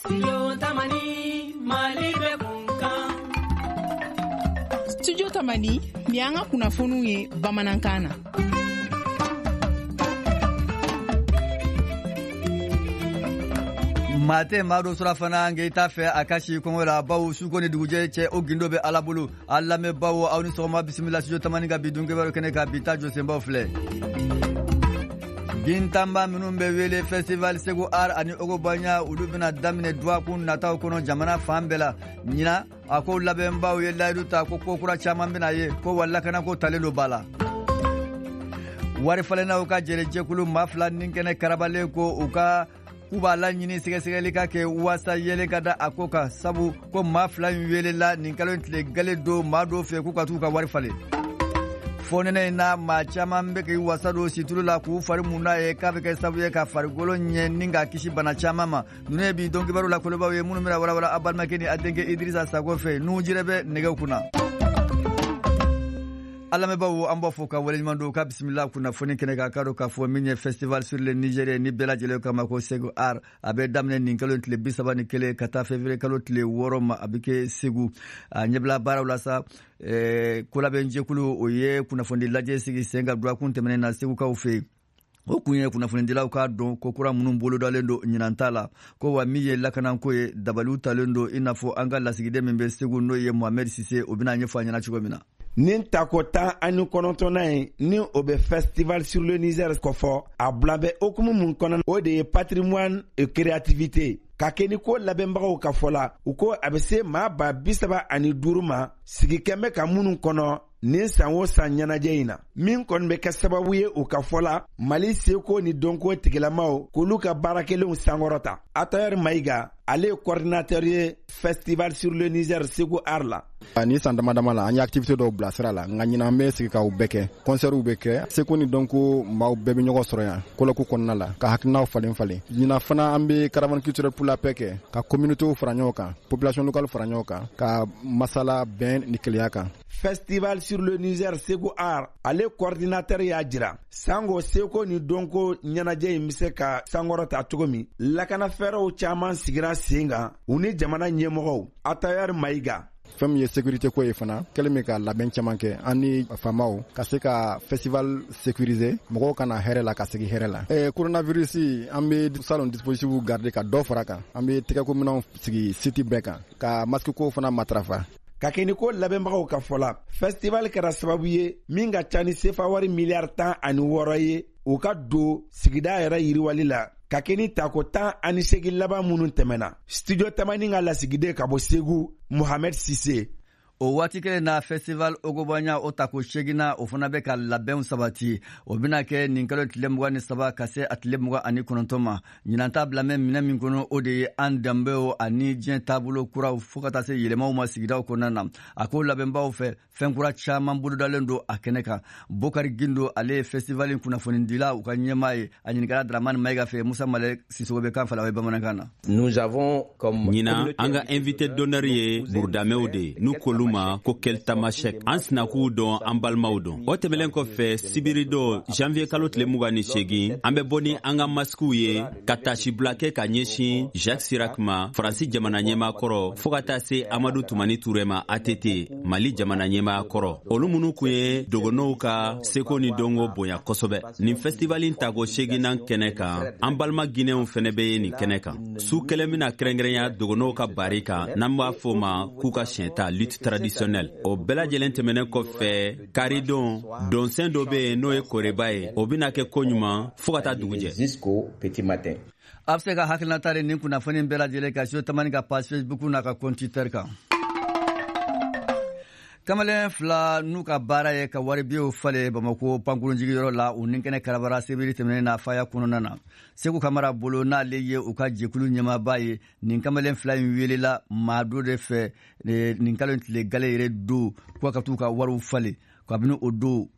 Studio Tamani, Mali bɛ kunkan. Studio Tamani, nin y'an ka kunnafoniw ye bamanankan na. Maa tɛ maa dɔ surafana nka i t'a fɛ a ka si kɔngɔ la, bawo suko ni dugujɛ cɛ, o gindo bɛ Ala bolo. A lamɛnbaw, aw ni sɔgɔma, bisimila Studio Tamani ka bi dunkebaru kɛnɛ kan. Bi ta jɔsenbaw filɛ: gintanba minnu bɛ wele Festival Segu Art ani Ogobanya, olu bɛna daminɛ dɔgɔkun nataw kɔnɔ jamana fan bɛɛ la ɲinan. A ko labɛnbaw ye layidu ta ko ko kura caman bɛna ye, ko wa lakanako talen don ba la. Wari falennaw ka jɛrɛjɛkulu maa fila ni kɛnɛ karabalen ko u ka k'u b'a laɲini sɛgɛsɛgɛli ka kɛ waasa yelen ka da a ko kan, sabu ko maa fila in welela nin kalo in tile gale don maa dɔw fɛ k'u ka t'u ka wari falen. Fɔnɛnɛ in na, maa caman bɛ k'i wasa don situlu la k'u fari mun n'a ye, k'a bɛ kɛ sababu ye ka farikolo ɲɛ ni k'a kisi bana caman ma. Ninnu ye bi don kibaru la kolobaw ye minnu bɛna walawala a balimakɛ ni a denkɛ Idirisa Sago fɛ. Nuhu Jire bɛ nɛgɛw kunna. A lamɛnbaaw, an b'a fɔ ka waleɲuman don ka bisimila kunnafoni kɛnɛ kan. K'a dɔn k'a fɔ min ye Festival sur le Niger ni bɛɛ lajɛlen kama ko Segu Art, a bɛ daminɛ nin kalo tile 31 ka taa février kalo tile 6 ma, a bɛ kɛ Segu. A ɲɛbila baaraw la sa, kolabɛnjɛkulu o ye kunnafoni lajɛ sigi sen kan dɔgɔkun tɛmɛnen na Segukaw fɛ yen. O kun ye kunnafonidilaw k'a dɔn ko kura minnu bolodalen don ɲinan ta la, ko wa min ye lakanako ye, dabaliw talen don, i n'a fɔ an ka lasigiden min bɛ Segu, n'o ye Mohamed Sise, o bɛna ɲɛfɔ a ɲɛna cogo min na. Nin tako 19nan ye ni o bɛ Festival sur le Niger kɔfɔ, a bila bɛ hukumu mun kɔnɔ, o de ye patrimoine et créativité. Ka kɛ ni ko labɛnbagaw ka fɔ la, u ko a bɛ se maa 35 000 ma sigi kɛn bɛ ka minnu kɔnɔ nin san o san ɲɛnajɛ in na, min kɔni bɛ kɛ sababu ye, u ka fɔ la, Mali seko ni dɔnko tigilamaw k'olu ka baarakɛlenw sankɔrɔta. Atayɛri Mayiga, ale ye coordinateur ye Festival sur le Niger Segu Art la. Ni san dama dama la, an ye activité dɔw bila sira la, nka ɲinan an bɛ sigi k'aw bɛɛ kɛ. Concertw bɛ kɛ, seko ni dɔnko maaw bɛɛ bɛ ɲɔgɔn sɔrɔ yan colloque kɔnɔna la ka hakilinaw falen falen. Ɲinan fana, an bɛ caravane culturelle pour la paix kɛ ka communauté fara ɲɔgɔn kan, population locale fara ɲɔgɔn kan, ka masala bɛn ni kelenya kan. Festival sur le Niger Segu Art, ale coordinateur y'a jira sango seko ni dɔnko ɲɛnajɛ in bɛ se ka sankɔrɔta cogo min, lakana fɛɛrɛw caman sigira sen kan u ni jamana ɲɛmɔgɔw. Atayɛri Mayiga. Fɛn min ye sécurité ko ye fana, kɛlen bɛ ka labɛn caman kɛ an ni faamaw ka se ka festival sécuriser, mɔgɔw ka na hɛrɛ la ka segin hɛrɛ la. Coronavirus, an bɛ salon dispositif garder ka dɔ fara kan, an bɛ tɛgɛkominɛnw sigi site bɛɛ kan, ka masque ko fana matarafa. Ka kɛ ni ko labɛnbagaw ka fɔ la, festival kɛra sababu ye min ka ca ni sefa wari miliyari 16 ye u ka don sigida yɛrɛ yiriwali la, ka kɛ ni tako 18 laban minnu tɛmɛna. Studio Tamani ka lasigiden ka bɔ Segu, Mohamed Sise. O waati kelen na, Festival Ogobanya o tako seginna, o fana bɛ ka labɛnw sabati. O bɛna kɛ nin kalo tile 23 ka se a tile 29 ma. Ɲinan ta bila mɛ minɛ min kɔnɔ, o de ye an danbew ani diɲɛ taabolo kuraw, fo ka taa se yɛlɛmaw ma sigidaw kɔnɔna na. A ko labɛnbaw fɛ, fɛn kura caman bolodalen don a kɛnɛ kan. Bokari Gindo, ale ye festival in kunnafonidila u ka ɲɛmaa ye. A ɲininkara Dramani Mayiga fɛ. Musa Malɛ Sisogo bɛ kan fala o ye bamanankan na. Ɲinan, an ka invité d'honneur ye burudamɛw de ye, n'u k'olu ma ko Kel Tamashek. An sinakuw dɔn, an balimaw dɔn. O tɛmɛlen kɔfɛ, sibiri don, janvier kalo tile 28, an bɛ bɔ ni an ka masikiw ye ka tasibila kɛ ka ɲɛsin Jacques Chirac ma, Faransi jamana ɲɛmaa kɔrɔ, fɔɔ ka taa se Amadu Tumani Ture ma, ATT, Mali jamana ɲɛmaa kɔrɔ, olu minnu kun ye dogonow ka seko ni dɔnko bonya kosɛbɛ. Nin festival in tako seginnan kɛnɛ kan, an balima Ginɛw fɛnɛ bɛ ye nin kɛnɛ kan. Su kelen bɛna kɛrɛnkɛrɛnya dogonow ka bari kan, n'an b'a fɔ ma k'u ka siɲɛta, lutte traditionnelle. O bɛɛ lajɛlen tɛmɛnen kɔfɛ, karidon, dɔnsen dɔ bɛ yen, n'o ye koreba ye, o bɛna kɛ koɲuman fɔɔ ka taa dugu jɛ. A bɛ se ka hakilinata de nin kunnafoni bɛɛ lajɛlen ka Studio Tamani ka page Facebook n'a ka compte Twitter kan. Kamalen fila n'u ka baara ye ka waribiyew falen Bamako pankurunjigiyɔrɔ la, u ni kɛnɛ karabara sebiri tɛmɛnen na faya kɔnɔna na. Segu Kamara bolo, n'ale ye u ka jɛkulu ɲɛmaaba ye, nin kamalen fila in welela maa dɔ de fɛ nin kalo tile gale yɛrɛ don ko ka t'u ka wariw falen. Kabini o don,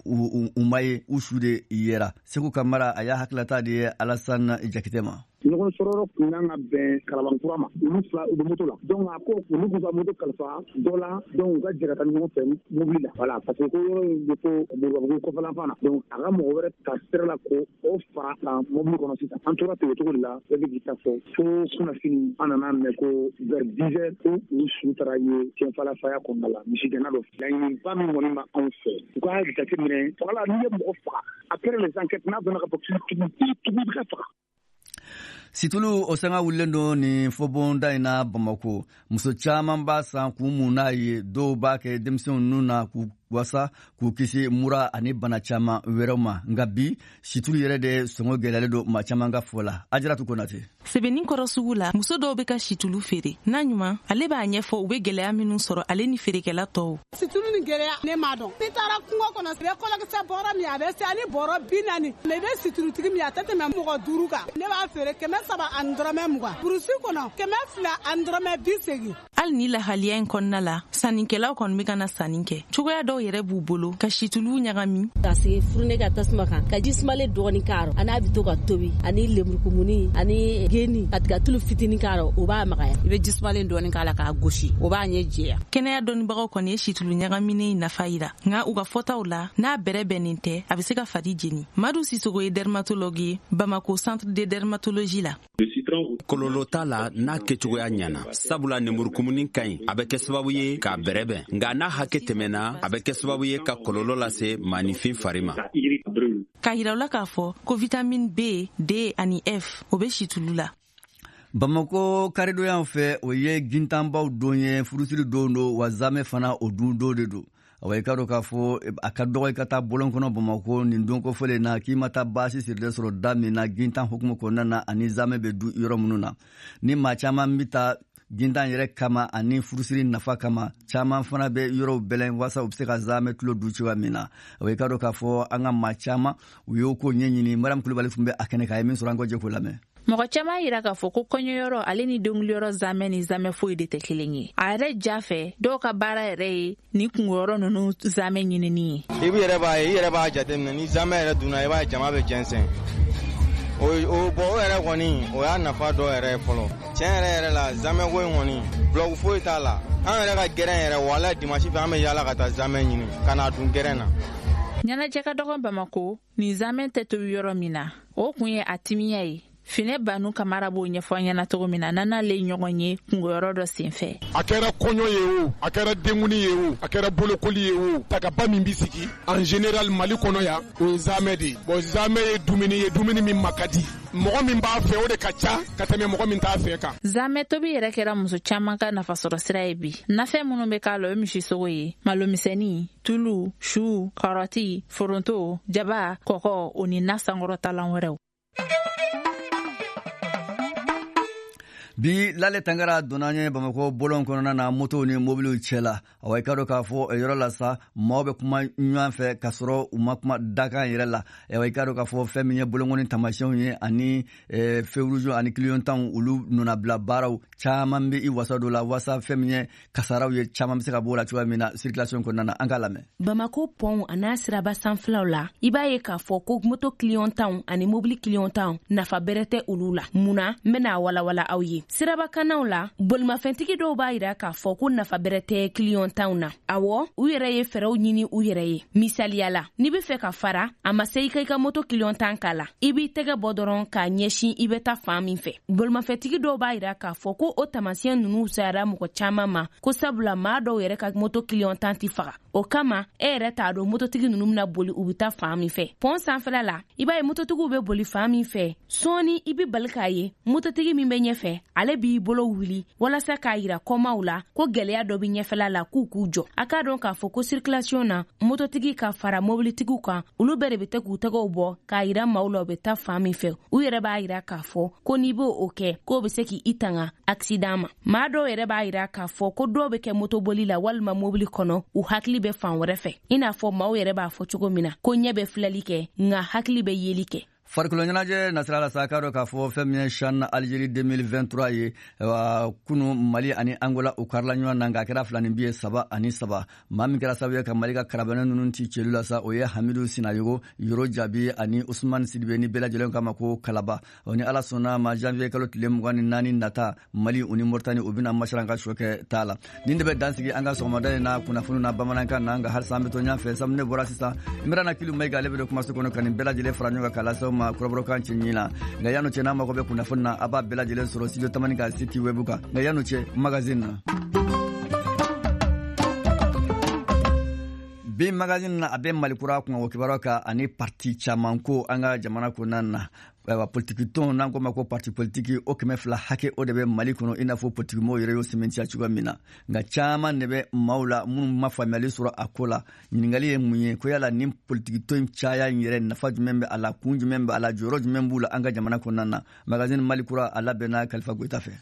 u ma ye, u su de yera. Segu Kamara, a y'a hakilata de ye Alassane Jakite ma. Ɲɔgɔn sɔrɔyɔrɔ kun kan ka bɛn Kalabankura ma, olu fila u bɛ moto la. Donc a ko olu k'u ka moto kalifa dɔ la, donc u ka jɛ ka taa ɲɔgɔn fɛ mobili la. Voilà, parce que ko yɔrɔ in bɛ fo Moribabugu kɔfɛlan fan na. Donc a ka mɔgɔ wɛrɛ ta sira la ko o fara kan mobili kɔnɔ sisan. An tora ten o cogo de la, bɛɛ bɛ k'i ta fɔ. Fo kunnafini an nana mɛn ko vers 10 heures ko u su taara ye Tienfala faya kɔnɔna la, misigɛnna dɔ. Laɲiniba min kɔni ma anw fɛ, u k'a jateminɛ fagala, n'i ye mɔgɔ faga après les enquêtes, n'a dɔnna ka fɔ k'i tugu i bɛ ka faga. Situlu o sanga wulilen don nin fɔbonda in na Bamako. Muso caman b'a san k'u mun n'a ye, dɔw b'a kɛ denmisɛnw nun na k'u wasa k'u kisi mura ani bana caman wɛrɛw ma. Nka bi situlu yɛrɛ de sɔngɔ gɛlɛyalen don maa caman ka fɔ la. Ajaratu Konate. Sebenikɔrɔ sugu la, muso dɔw bɛ ka situlu feere. N'a ɲuman, ale b'a ɲɛfɔ u bɛ gɛlɛya minnu sɔrɔ ale ni feerekɛla tɔw. Situlu ni gɛlɛya ne m'a dɔn. N'i taara kungo kɔnɔ, i bɛ kɔlɔkisɛ bɔrɔ min, a bɛ se ani bɔrɔ 40. Mais i bɛ situlutigi min, a tɛ tɛmɛ mɔgɔ 5 kan. Ne b'a feere 320. Burusi kɔnɔ 280. Hali ni lahaliya in kɔnɔna la, sannikɛlaw kɔni bɛ ka na sanni kɛ. Cogoya dɔw yɛrɛ b'u bolo ka situlu ɲagami. Ka sigi furune ka tasuma kan, ka ji sumalen dɔɔni k'a rɔ, ani a bɛ to ka tobi, ani lemurukumuni ani geni, ka tiga tulu fitinin k'a rɔ, o b'a magaya. I bɛ ji sumalen dɔɔni k'a la k'a gosi, o b'a ɲɛ jɛya. Kɛnɛya dɔnnibagaw kɔni ye situlu ɲagaminen nafa yira, nka u ka fɔtaw la, n'a bɛrɛ bɛnnen tɛ, a bɛ se ka fari jeni. Madu Sisogo ye dermatologue ye Bamako centre de dermatologie la. Kɔlɔlɔ t'a la n'a kɛcogoya ɲana, sabula nemurukumuni ka ɲi, a bɛ kɛ sababu ye k'a bɛrɛbɛn, nka n'a hakɛ tɛmɛna, a bɛ kɛ sababu ye ka kɔlɔlɔ lase maaninfin fari ma. K'a yira u la k'a fɔ ko vitamine B, D ani F o bɛ situlu la. Bamako karidonya fɛ, o ye gintanbaw don ye, furusiri don don, wa zamɛ fana o dun don de don. Awa, i ka dɔn k'a fɔ a ka dɔgɔ i ka taa bɔlɔn kɔnɔ Bamako nin don kofɔlen na k'i ma taa baasi sirilen sɔrɔ da min na gintan hukumu kɔnɔna na ani zamɛ bɛ du yɔrɔ minnu na. Ni maa caman bɛ taa gintan yɛrɛ kama ani furusiri nafa kama, caman fana bɛ yɔrɔw bɛlɛn walasa u bɛ se ka zamɛ tulo du cogoya min na. Awa, i ka dɔn k'a fɔ an ka maa caman u y'o ko ɲɛɲini. Mariam Kulubali tun bɛ a kɛnɛ kan, a ye min sɔrɔ, an ka jɛ k'o lamɛn. Mɔgɔ caman yira k'a fɔ ko kɔɲɔyɔrɔ ale ni denguliyɔrɔ zamɛ ni zamɛ foyi de tɛ kelen ye. A yɛrɛ ja fɛ, dɔw ka baara yɛrɛ ye ni kungoyɔrɔ ninnu zamɛ ɲinini ye. I b'i yɛrɛ b'a ye, i yɛrɛ b'a jateminɛ, ni zamɛ yɛrɛ dunna, i b'a ye jama bɛ jɛnsɛn. O bɔn, o yɛrɛ kɔni o y'a nafa dɔ yɛrɛ ye fɔlɔ. Tiɲɛ yɛrɛ yɛrɛ la, zamɛko in kɔni bulɔku foyi t'a la. An yɛrɛ ka gɛrɛn yɛrɛ, wala dimanche fɛ, an bɛ yaala ka taa zamɛ ɲini ka n'a dun gɛrɛn na. Ɲɛnajɛ ka dɔgɔn Bamako ni zamɛ tɛ tobi yɔrɔ min na, o kun ye a timiya ye. Finɛ Banu Kamara b'o ɲɛfɔ an ɲɛna cogo min na, n'ale ɲɔgɔn ye kungoyɔrɔ dɔ senfɛ. A kɛra kɔɲɔ ye o, a kɛra denkuni ye o, a kɛra bolokoli ye o, tagaba min bɛ sigi en général Mali kɔnɔ yan, o ye zamɛ de ye. Bon, zamɛ ye dumuni ye, dumuni min ma ka di. Mɔgɔ min b'a fɛ, o de ka ca ka tɛmɛ mɔgɔ min t'a fɛ kan. Zamɛ tobi yɛrɛ kɛra muso caman ka nafasɔrɔ sira ye bi. Nafɛn minnu bɛ k'a la, o ye misisogo ye, malomisɛnnin, tulu, su, karɔti, foronto, jaba, kɔkɔ, o ni na sankɔrɔtalan wɛrɛw. Bi Lale Tangara donna an ye Bamakɔ bɔlɔn kɔnɔna na, motow ni mobiliw cɛ la. Awa, i ka dɔn k'a fɔ yɔrɔ la sa, maaw bɛ kuma ɲɔgɔn fɛ k'a sɔrɔ u ma kuma dakan yɛrɛ la. Awa, i ka dɔn k'a fɔ fɛn min ye bolonkɔni taamasiyɛnw ye ani feu rouge ani clignotant, olu nɔnabila baaraw caman bɛ i wasa don la, wasa fɛn min ye kasaraw ye, caman bɛ se ka bɔ o la cogoya min na circulation kɔnɔna na. An k'a lamɛn. Bamako pɔnw a n'a siraba sanfɛlaw la, i b'a ye k'a fɔ ko moto clignotant ani mobili clignotant, nafa bɛrɛ tɛ olu la. Mun na? N bɛna walawala aw ye. Sirabakanaw la, bolimafɛntigi dɔw b'a yira k'a fɔ ko nafa bɛrɛ tɛ clignotant na. Awɔ, u yɛrɛ ye fɛɛrɛw ɲini u yɛrɛ ye. Misaliya la, n'i be fɛ ka fara, a ma se i ka i ka moto clignotant k'a la, i b'i tɛgɛ bɔ dɔrɔn k'a ɲɛsin i bɛ taa fan min fɛ. Bolimafɛntigi dɔw b'a yira k'a fɔ ko o taamasiyɛn ninnu sayara mɔgɔ caman ma, ko sabula maa dɔw yɛrɛ ka moto clignotant tɛ faga. O kama, e yɛrɛ t'a dɔn mototigi ninnu bɛna boli, u bɛ taa fan min fɛ. Pɔn sanfɛla la, i b'a ye mototigiw bɛ boli fan min fɛ, sɔɔni i bɛ bali k'a ye mototigi min bɛ ɲɛfɛ, ale b'i bolo wuli walasa k'a yira kɔmaw la ko gɛlɛya dɔ bɛ ɲɛfɛla la, k'u k'u jɔ. A k'a dɔn k'a fɔ ko circulation na, mototigi ka fara mobilitigiw kan, olu bɛɛ de bɛ tɛ k'u tɛgɛw bɔ k'a yira maaw la u bɛ taa fan min fɛ. U yɛrɛ b'a yira k'a fɔ ko n'i b'o o kɛ, k'o bɛ se k'i tanga accident ma. Maa dɔw yɛrɛ b'a yira k'a fɔ ko dɔw bɛ kɛ motoboli la walima mobili kɔnɔ, u hakili bɛ fan wɛrɛ fɛ, i n'a fɔ maaw yɛrɛ b'a fɔ cogo min na ko ɲɛ bɛ filɛli kɛ, nka hakili bɛ yeli kɛ. Farikolo ɲɛnajɛ nasira la sa, k'a dɔn k'a fɔ fɛn min ye CHAN Algérie 2023 ye, kunu Mali ani Angola u karila ɲɔgɔn na, nka a kɛra 2 ni bi ye, 3-3. Maa min kɛra sababu ye ka Mali ka karabɛnɛ ninnu ci celu la sa, o ye Hamidu Sinayogo, Yoro Jaabi ani Usman Sidibe, ni bɛɛ lajɛlen k'a ma ko Kalaba. O ni Ala sɔnna ma, janvier kalo tile 24 nata, Mali u ni Moritani u bɛna masaran ka sɔ kɛ ta la. Nin de bɛ dansigi an ka sɔgɔmada in na kunnafoni na bamanankan na. Nka halisa an bɛ to ɲɔgɔn fɛ sabu ne bɔra sisan, Imrana Kilu Mayiga, ale bɛ don kumaso kɔnɔ ka nin bɛɛ lajɛlen fara ɲɔgɔn kan k'a lase aw ma kɔrɔbɔrɔkan cɛ na. Nka yan'o cɛ, n'a mago bɛ kunnafoni na, a b'a bɛɛ lajɛlen sɔrɔ Studio Tamani ka site web kan. Nka yan'o cɛ, magazine na, bi magazine na, a bɛ Mali kura kunkanko kibaruya kan ani parti caman ko an ka jamana kɔnɔna na. Ayiwa, politiki tɔn, n'an ko ma ko parti politiki, o 200 hakɛ o de bɛ Mali kɔnɔ, i n'a fɔ politikimɔgɔw yɛrɛ y'o sɛmɛntiya cogoya min na. Nka caman de bɛ maaw la minnu ma faamuyali sɔrɔ a ko la. Ɲininkali ye mun ye? Ko yala nin politiki tɔn caya in yɛrɛ, nafa jumɛn bɛ a la, kun jumɛn bɛ a la, jɔyɔrɔ jumɛn b'u la an ka jamana kɔnɔna na? Magazine Mali kura, a labɛnna Kalifa Goyita fɛ.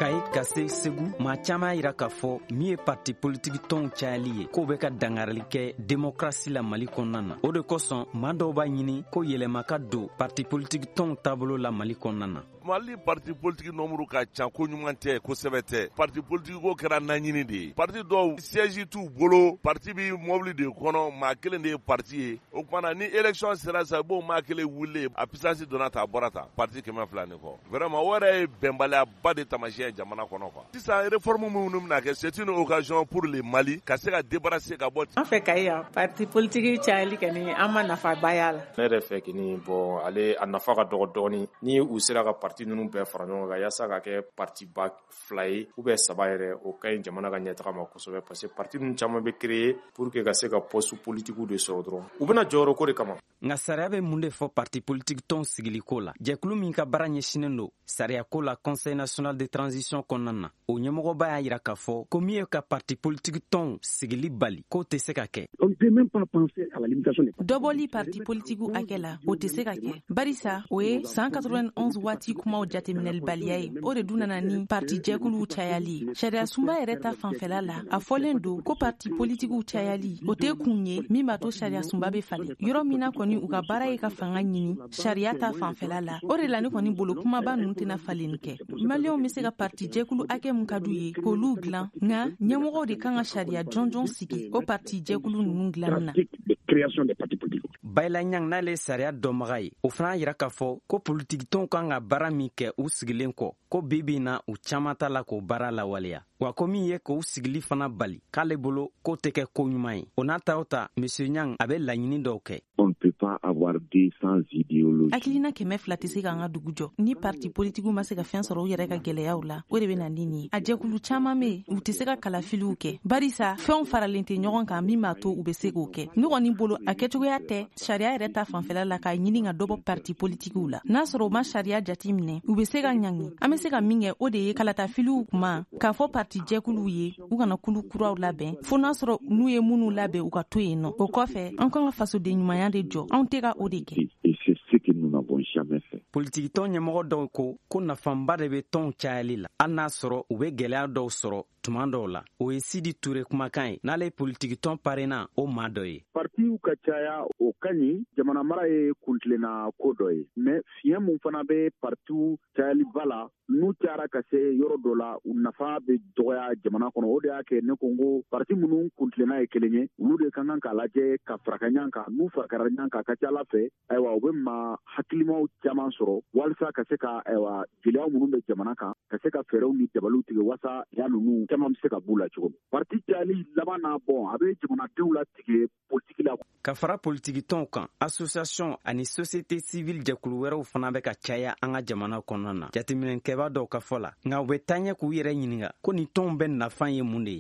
Kayi ka se Segu, maa caman y'a yira k'a fɔ min ye parti politiki tɔnw cayali ye, k'o bɛ ka dangarili kɛ demokrasi la Mali kɔnɔna na. O de kosɔn, maa dɔw b'a ɲini ko yɛlɛma ka don parti politiki tɔnw taabolo la Mali kɔnɔna na. Mali parti politiki nombre ka ca, ko ɲuman tɛ, kosɛbɛ tɛ. Parti politiki ko kɛra naɲini de ye. Parti dɔw siège t'u bolo, parti bi mobili de kɔnɔ, maa kelen de ye parti ye. O kumana ni élection sera sa, i b'o maa kelen wuli, a puissance donna ta, a bɔra ta, parti 200 ni kɔ. Vraiment, o yɛrɛ ye bɛnbaliyaba de tamasiyɛn jamana kɔnɔ quoi. Sisan réforme minnu bɛna kɛ, c'est une occasion pour le Mali ka se ka débarrasser ka bɔ. An fɛ Kayi yan, parti politique cayali kɔni, an ma nafaba y'a la. Ne yɛrɛ fɛ kini, bɔn, ale a nafa ka dɔgɔ dɔɔni. Ni u sera ka parti ninnu bɛɛ fara ɲɔgɔn kan yaasa ka kɛ parti ba fila ye ou bien saba yɛrɛ, o ka ɲi jamana ka ɲɛtaga ma kosɛbɛ, parce que parti ninnu caman bɛ créer pour que ka se ka poste politique de sɔrɔ dɔrɔn, u bɛna jɔyɔrɔ ko de kama. Nka sariya bɛ mun de fɔ parti politiki tɔn sigiliko la? Jɛkulu min ka baara ɲɛsinen don sariyako la Conseil national de transition kɔnɔna na, o ɲɛmɔgɔba y'a yira k'a fɔ ko min ye ka parti politiki tɔnw sigili bali, k'o tɛ se ka kɛ. Dɔbɔli parti politikiw hakɛ la, o tɛ se ka kɛ, barisa o ye san 91 waati kumaw jateminɛlibaliya ye. O de dun nana ni parti jɛkuluw cayali ye. Sariya sunba yɛrɛ ta fanfɛla la, a fɔlen don ko parti politikiw cayali, o tɛ kun ye min b'a to sariya sunba bɛ falen. Yɔrɔ min na kɔni, u ka baara ye ka fanga ɲini sariya ta fanfɛla la. O de la ne kɔni bolo, kumaba ninnu tɛna falenni kɛ. Maliyɛnw bɛ se ka parti jɛkulu hakɛ mun ka d'u ye k'olu dilan, nka ɲɛmɔgɔw de kan ka sariya jɔnjɔn sigi o parti jɛkulu ninnu dilanni na. Bayila Ɲang, n'ale ye sariya dɔnbaga ye, o fana yira k'a fɔ ko politikitɔnw kan ka baara min kɛ u sigilen kɔ, ko bi bi na u caaman t'a la k'o baara lawaleya. Wa ko min ye k'u sigili fana bali, k'ale bolo k'o tɛ kɛ ko ɲuman ye. O n'a ta o ta, Monsieur Ɲang a bɛ laɲini dɔw kɛ. Hakilina 200 tɛ se k'an ka dugu jɔ. Ni parti politikiw ma se ka fɛn sɔrɔ u yɛrɛ ka gwɛlɛyaw la, o de bɛ na ni nin ye. A jɛkulu caaman be yen, u tɛ se ka kalafiliw kɛ, barisa fɛnw faralen tɛ ɲɔgɔn kan min b'a to u bɛ se k'o kɛ. Ne kɔni bolo, a kɛcogoya tɛ sariya yɛrɛ ta fanfɛla la k'a ɲini ka dɔbɔ parti politikiw la. N'a sɔrɔ u ma sariya jati minɛ, u bɛ se ka ɲangi. An bɛ se ka min kɛ, o de ye kalatafiliw kuma k'a fɔ parti jɛkuluw ye u kana kulu kuraw labɛn, fo n'a sɔrɔ n'u ye minnu labɛn, u ka to yen nɔ. O kɔfɛ, an kan ka fasoden ɲumanya de jɔ. Anw tɛ ka o de kɛ. Politikitɔn ɲɛmɔgɔ dɔw ko ko nafaba de bɛ tɔnw cayali la, hali n'a sɔrɔ u bɛ gwɛlɛya dɔw sɔrɔ tuma dɔw la. O ye Sidi Ture kumakan ye, n'ale ye politikitɔn PARENA o maa dɔ ye. Partiw ka caya, o ka ɲi. Jamana mara ye kuntilenna ko dɔ ye, mais fiɲɛ mun fana bɛ partiw cayaliba la, n'u cayara ka se yɔrɔ dɔ la, u nafa bɛ dɔgɔya jamana kɔnɔ. O de y'a kɛ ne ko n ko parti minnu kuntilenna ye kelen ye, olu de ka kan k'a lajɛ ka faraka ɲɔgɔn kan. N'u farakara ɲɔgɔn kan, a ka ca ala fɛ, ayiwa, u bɛ maa hakilimaw caman sɔrɔ walasa ka se ka, ayiwa, gɛlɛya minnu bɛ jamana kan, ka se ka fɛɛrɛw ni dabaliw tigɛ walasa ya ninnu caman bɛ se ka b'u la cogo min. Parti cayali laban na, bɔn, a bɛ jamanadenw latigɛ politiki la. Ka fara politikitɔnw kan, association ani société civile jɛkulu wɛrɛw fana bɛ ka caya an ka jamana kɔnɔna na, jateminɛkɛba dɔw ka fɔ la. Nka u bɛ taaɲɛ k'u yɛrɛ ɲininga ko nin tɔnw bɛ nafan ye mun de ye.